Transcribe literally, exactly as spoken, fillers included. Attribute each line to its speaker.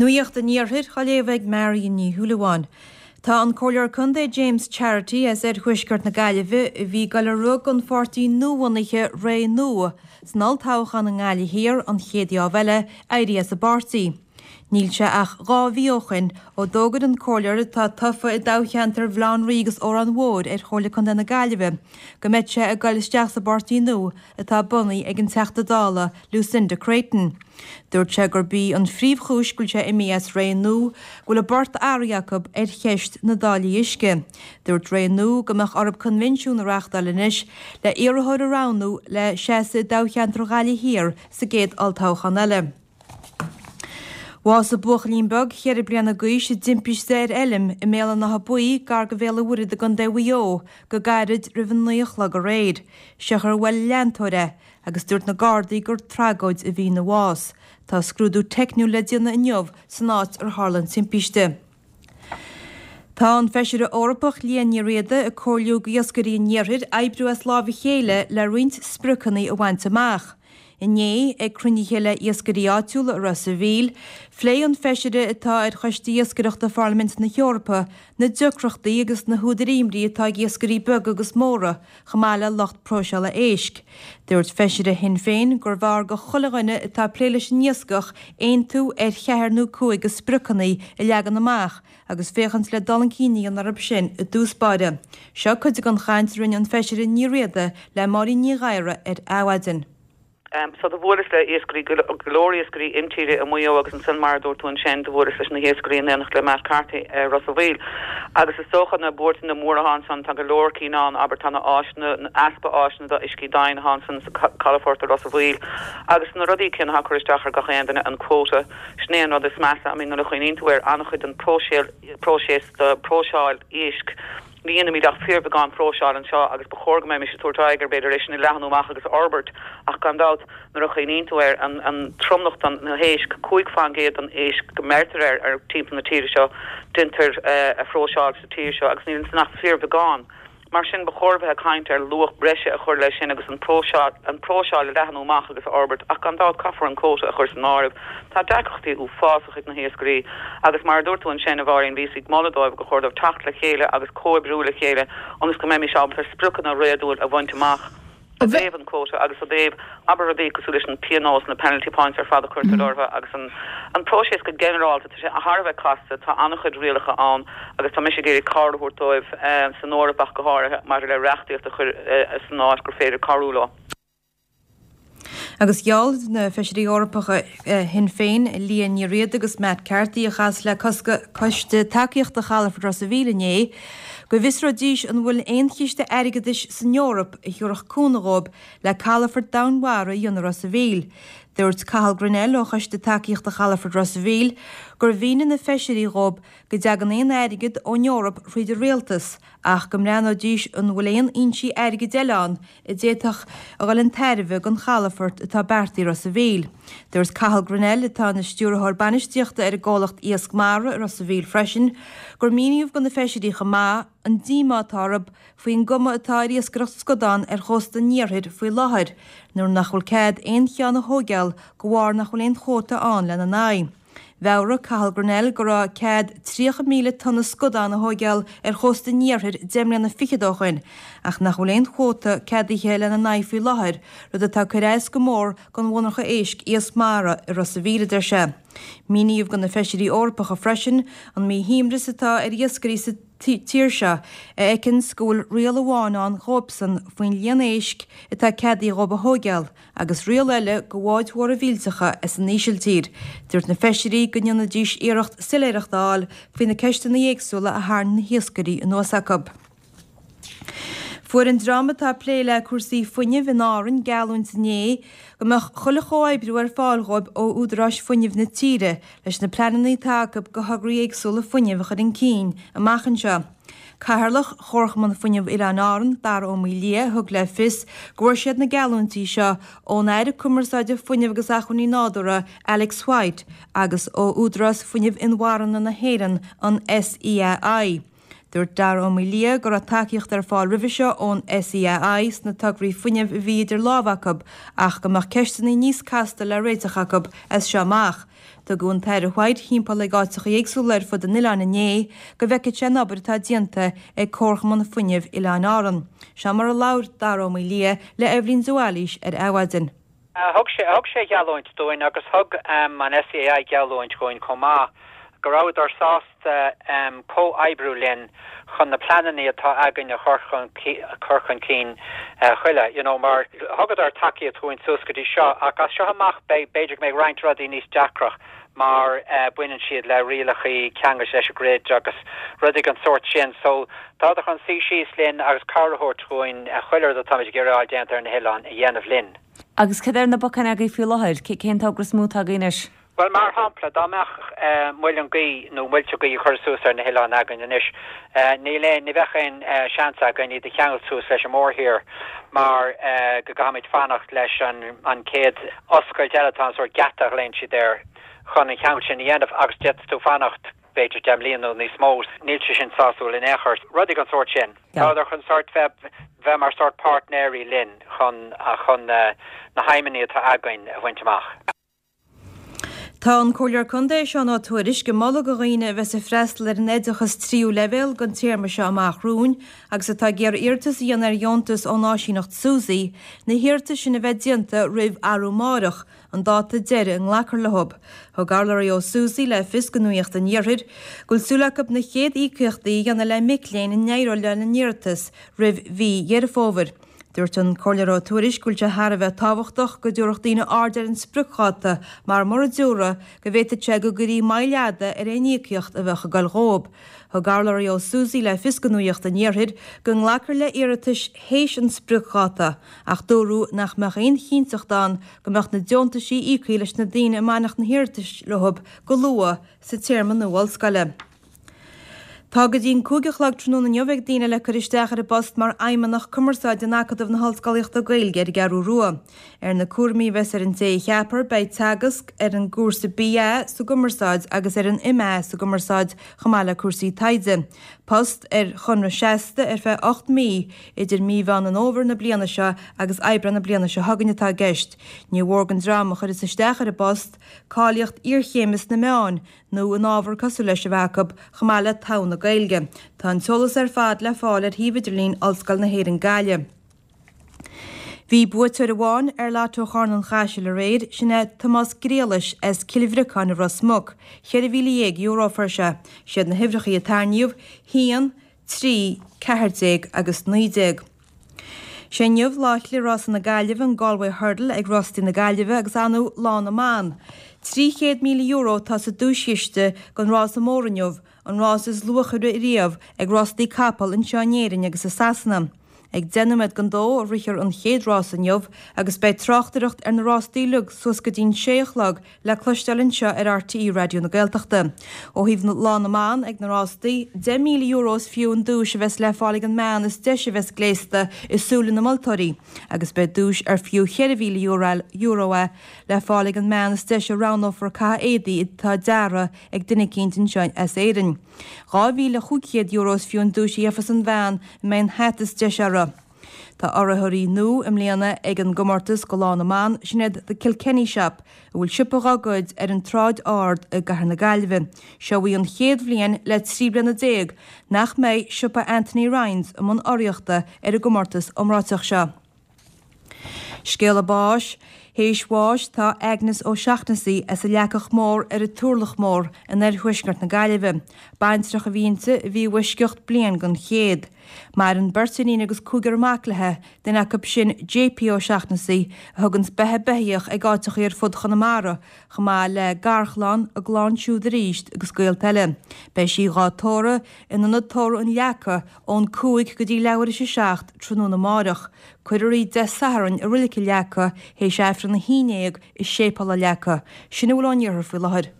Speaker 1: Nuacht an Iarthair á léamh ag Marion Ní Shúilleabháin. Tá an Comhairleoir Contae James Charity as oirthuaisceart na Gaillimhe a bhí ag dul ag rith don pháirtí nuabhunaithe Ré Nua san olltoghchán i nGaillimh Thiar an chéad gheábh eile éirithe as an bpáirtí. Níl sé ach dhá mhí ó shin ó d'fhógair an comhairleoir atá tofa i dtoghcheantar Bhaile Átha an Rí agus Órán Mhóir ar Chomhairle Contae na Gaillimhe go mbeidh sé ag dul isteach sa bpáirtí nua atá bunaithe ag an Teachta Dála Lucinda Creighton. Dúirt sé gurb í an phríomhchúis go bhfuil sé imithe as Ré Nua go bhfuil a bport athraithe acu ar cheist na dtáillí uisce. Dúirt Ré Nua go mbeadh orthu coinbhinsiún a reáchtáil anois le iarrthóir a roghnú le seasamh i dtoghcheantar Ghaillimh Thiar sa gcéad olltoghchán eile. Bhásaigh buachaillín beag cheithre bliana d'aois i dtimpiste ar fheilm i mBéal an Átha Buí gar do Bhéal an Mhuirthead i gContae Mhaigh Eo go gairid roimh an naoi a chlog aréir. Siochar bhuail leantóir é agus dúirt na Gardaí gur tragóid a bhí ina bhás. Tá scrúdú teicniúil le déanamh inniu san áit ar tharla an timpiste. Tá an Feisire Eorpach Liadh Ní Riada ag comhairliú d'iascairí an iarthair oibriú as lámh a chéile le roinnt spriocanna a bhaint amach. Inné, ag cruinnithe le iascairí áitiúla i Ros an Mhíl, phléigh an feisire atá ar Choiste Iascaireachta Pharlaimint na hEorpa na deacrachtaí agus na húdair imní atá ag iascairí beaga agus móra, chomh maith le lucht próiseála éisc. Dúirt feisire Shinn Féin gurbh fhearr do chuile dhuine atá ag plé leis an iascach aontú ar cheathair nó cúig de spriocanna a leagan amach agus féachaint le dul chun cinn a dhéanamh orthu sin i dtús báire. Seo cuid den chaint a rinne an feisire Ní Riada le Máirín Ní Ghadhra ar Adhmhaidin.
Speaker 2: Um, so do bhuaileas le iascairí go leor iascairí intíre i Maigh Eo agus ansin mar a dúirt tú ansin do bhuaileas leis na hiascairí in éineacht le Matt Carthy uh, Ros an Mhíl. Agus is dócha na buairt na móra ansan tá go leor cinn ann abair tá na áiseanna easpa áiseanna do uiscí domhain ansan sa calafort Ros an Mhíl. Agus na rudaí cinn a chur isteach ar gach aon duine an quota sin é an rud is measa I mean nuair a chuimhníonn tú ar an-chuid den próiseas de próiseáil éisc. Ní dhéanaimid ach fíorbheagán próiseáil anseo agus ba chóir go mbeimis ag tabhairt aghaidh ar b'fhéidir é sin a leathnú amach agus fhorbairt ach gan dabht nuair a chuimhníonn tú ar an, an tromlach den na héisc cúig faoin gcéad den éisc go mbeirtear ar ar timpeall na tíre seo déantar uh, a phróiseáil sa tír seo agus níl san ach fíorbheagán. Mar sin ba chóir bheith ag caint ar luach breise a chur leis sin agus an próiseáil an próiseáil a leathnú amach agus a fhorbairt ach gan dabht caithfear an quota a chur san áireamh. Tá deacrachtaí uafásach ag na hiascairí agus mar a dúirt tú ansin a Mháirín bhíos ag moladh dóibh go chóir dóibh teacht le chéile agus comhoibriú le chéile ionas go mbeimis ábalta spriocanna réadúil a bhaint amach. I dtaobh an quota agus i dtaobh abair rudaí cosúil leis an pionós na penalty points ar fad a chuirtear orthu agus an an próiseas go ginearálta tá sé thar a bheith casta tá an-chuid rialacha ann agus tá mise ag iarraidh cabhair a thabhairt dóibh eh, san Eoraip ach go háirithe maidir le reachtaíocht a chur eh, san áit gur féidir cabhrú leo.
Speaker 1: Agus gheall na feisirí Eorpacha Shinn Féin Liadh Ní Riada agus Matt Carthy a chas le coiste tacaíochta Chalafort Ros an Mhíl inné, go bhfiosróidís an bhfuil aon chiste airgeadais san Eoraip a thabharfadh cúnamh dóibh le calafort domhainmhara a dhéanamh Ros an Mhíl. Dúirt Cathal Grennell ó choiste tacaíochta Chalafort Ros an Mhíl gur mhínigh na feisirí dhóibh go dtagann aon airgead ón Eoraip thríd an rialtas ach go mbreathnóidís an bhfuil aon fhoinsí airgid eile ann a d'fhéadfadh a dhul chun tairbhe don chalafort atá beartaithe Ros an Mhíl. Dúirt Cathal Grennell atá ina stiúrthóir bainistíochta ar an gcomhlacht Iasc Mara i Ros an Mhíl freisin, gur míníodh do na feisirí chomh maith an díomá atá orthu faoin gcuma atá ar iascaireacht scadán ar chósta an iarthair faoi láthair, nuair nach bhfuil cead aon cheann a thógáil de bharr nach bhfuil aon chuóta ann lena n-aghaidh. Mheabhraigh Cathal Grennell go raibh cead tríocha míle tonna scadán a thógáil ar chósta an iarthair deich mbliana fichead ó shin, ach nach bhfuil aon chuóta ceadaithe lena n-aghaidh faoi láthair, rud atá ag cur as go mór don mhonarcha éisc Iasc Mara i Ros an Mhíl, a deir sé. Míníodh do na feisirí Eorpacha freisin an míshuaimhneas atá ar iascairí sa tír seo a fheiceanns go bhfuil riail amháin ann dhóibhsan faoin líon éisc atá ceadaithe dhóibh a thógáil agus riail eile do bháid mhóra mhillteacha as an Ísiltír. Dúirt na feisirí go ndéanfaidís iarracht soiléireacht a fháil faoi na ceisteanna éagsúla a tharraing na hiascairí anuas acu. Fuair an dream atá ag plé le cúrsaí fuinnimh in Árainn geallúint inné go mbeadh chuile chomhoibriú ar fáil dhóibh ó údaráis fuinnimh na tíre leis na pleananna atá acu do thograí éagsúla fuinnimh a chur chun cinn amach anseo. Cathaoirleach Chomharchumann Fuinnimh Oileáin Árann, Dara Ó Maoildhia, thug le fios go bhfuair siad na geallúintí seo ón Aire Cumarsáide Fuinnimh agus Acmhainní Nádúrtha Alex White agus ó Údarás Fuinnimh Inmharthana na hÉireann, an SEAI. Dúirt Dara Ó Maoildhia go raibh tacaíocht ar fáil roimhe seo ón SEAI sna tograí fuinnimh a bhí idir lámha acu ach go mbeadh ceisteanna níos casta le réiteach acu as seo amach. Tugadh an tAire White timpeall ag áiteacha éagsúla ar fud an oileáin inné go bhfeicfeadh sé an obair atá déanta ag Comharchumann Fuinnimh Oileáin Árann. Seo mar a labhair Dara Ó Maoildhia le Eibhlín de Bhailís ar Adhmhaidin.
Speaker 3: Thug sé thug sé geallúint dúinn agus thug um, an SEAI geallúint dúinn chomh maith go rabhadar sásta um, comhoibriú linn chun na pleananna atá againn a chur chur chun cinn uh, chuile you know, mar thugadar tacaíocht dúinn suas go dtí seo ach as seo amach b'fhéidir go mbeidh roinnt rudaí níos deacra mar uh, baineann siad le rialacha ceanglais leis an grid agus rudaí den sórt sin so tá chun suí síos linn agus cabhrú dúinn chuile rud atá geráil déanta ar na hoileáin a dhéanamh linn.
Speaker 4: Agus cad iad na bacainní agaibh faoi láthair cén togra is mó atá agaibh anois?
Speaker 3: Well mar shampla dá mbeadh uh, muileann gaoithe nó muilte gaoithe chur suas ar na hoileáin againn anois uh, ní le ní bheadh aon uh, seans againn iad a cheangal suas leis an mórthír mar uh, go gcaithfimid fanacht leis an, an chéad oscailt eile tá sórt geata a ghlaonn siad air chun an ceangal sin a dhéanamh agus d'fhéadfadh tú fanacht b'fhéidir deich mbliana nó níos mó níl sé sin sásúil in aon chor rudaí den sórt sin. Tá chun sórt bheith bheith mar sórt páirtnéirí linn chun chun uh, na haidhmeanna atá againn a bhaint amach.
Speaker 1: Tá an Comhairleoir Contae Seán Ó Tuairisg ag moladh do dhaoine a bheas ag freastal ar an oideachas tríú leibhéal don téarma seo amach romhainn agus atá ag iarraidh iarratas a dhéanamh ar dheontas ón áisíneacht SUSI, na hiarratais sin a bheith déanta roimh arú amárach, an dáta deiridh a nglacfar leo. Thug urlabhraí ó SUSI le fios do Nuacht an Iarthair, go bhfuil súil acu na chéad íocaíochtaí a dhéanamh le mic léinn a n-éireoidh lena n-iarratas roimh mhí Dheireadh Fómhair. Dúirt an Comhairleoir Ó Tuairisg go bhfuil sé thar a bheith tábhachtach go dtabharfadh daoine aird ar an spriocdháta mar mura dtabharfaí go bhféadfadh sé go gcuirfí moill fhada ar aon íocaíocht a bheadh ag dul dhóibh. Thug urlabhraí ó SUSI le fios do Nuacht an Iarthair go nglacfar le hiarratais théis an spriocdháta ach dúradh nach mbeadh aon chinnteacht ann go mbeadh na deontaisí íoctha leis na daoine a mbainfeadh na hiarratais leo go luath sa téarma nua ollscoile. Tá go dtí an cúig a chlog tráthnóna inniu ag daoine le cur isteach ar an bpost mar fheidhmeannach cumarsáide in Acadamh na hOllscolaíochta Gaeilge ar an gCeathrú Rua. Ar na cúraimí a bheas ar an té a cheapfar beidh teagasc ar an gcúrsa BA sa gcumarsáid agus ar an MA sa gcumarsáid chomh maith le cúrsaí taighde. Post ar chonradh seasta ar feadh ocht mí idir mí Mheán an Fhómhair na bliana seo agus Aibreán na bliana seo chugainn atá i gceist. Ní mór don dream a chuireas isteach ar an bpost cáilíocht iarchéime sna meáin nó in ábhar cosúil leis a bheith acu chomh maith le togha na Gaeilge. Tá an t-eolas ar fad le fáil ar shuíomh idirlín Ollscoil na hÉireann Gaillimh. Bhí buaiteoir amháin ar Lotto Chorn an Chaisil aréir sin é Tomás Griallais as Cill Bhriocáin i Ros Muc, ceithre mhíle dhéag euro a fuair sé, siad na huimhreacha a tarraingíodh, haon, trí, ceathair déag agus naoi déag. Sé inniu lá Chliath-Rása na Gaillimhe an Galway Hurdle ag Rástaí na Gaillimhe agus anú Lá na mBan. Trí chéad míle euro atá sa duaischiste don rása mór inniu, an rás is luachmhaire riamh ag rástaí capall anseo in Éirinn agus i Sasana. Ag deich nóiméad don dó a rithfear an chéad rás inniu agus beidh tráchtaireacht ar na rástaí uilig suas go dtí'n sé a chlog le cloisteáil anseo ar RTÉ Raidió na Gaeltachta. Ó thaobh Lá na mBan ag na rástaí, deich míle euro is fiú an duais a bheas le fáil ag an mbean is deise a bheas gléasta i súile na moltóirí, agus beidh duais ar fiú ceithre mhíle euro é le fáil ag an mbean is deise a roghnófar caitheamh éadaí atá deartha ag duine eicínt anseo as Éirinn. Dhá mhíle chúig chéad euro is fiú an duais a gheofas an bhean a mbeidh an hata is deise uirthi. Tá urraitheoirí nua i mbliana ag an gcomórtas do Lá na mBan, sin iad The Kilkenny Shop, a bhfuil siopa dá gcuid ar an tSráid Ard i gCathair na Gaillimhe. Seo í an chéad bhliain le trí bliana déag nach mbeidh siopa Anthony Ryan's i mbun urraíochta ar an gcomórtas iomráiteach seo. Scéala báis, Théis bháis tá Agnes O'Shaughnessy as an Leacach Mór ar an Turlach Mór in oirthuaisceart na Gaillimhe. Baintreach a bhí inti a bhí i bhfoisceacht bliain den chéad. Maireann beirt iníon agus cúigear mac léi, duine acu sin JP O'Shaughnessy a thugann beatha beithíoch ag áiteachaí ar fud Chonamara, chomh maith le garchlann, a gclann siúd arís agus gaolta eile. Beidh sí dhá tórramh in ionad tórraimh an Leaca ón cúig go dtí leathuair théis a seacht tráthnóna amárach. Cuirfear í Dé Sathairn i Reilig an Leaca théis Aifreann a haon déag i Séipéal an Leaca. Sin a bhfuil ón iarthar faoi láthair.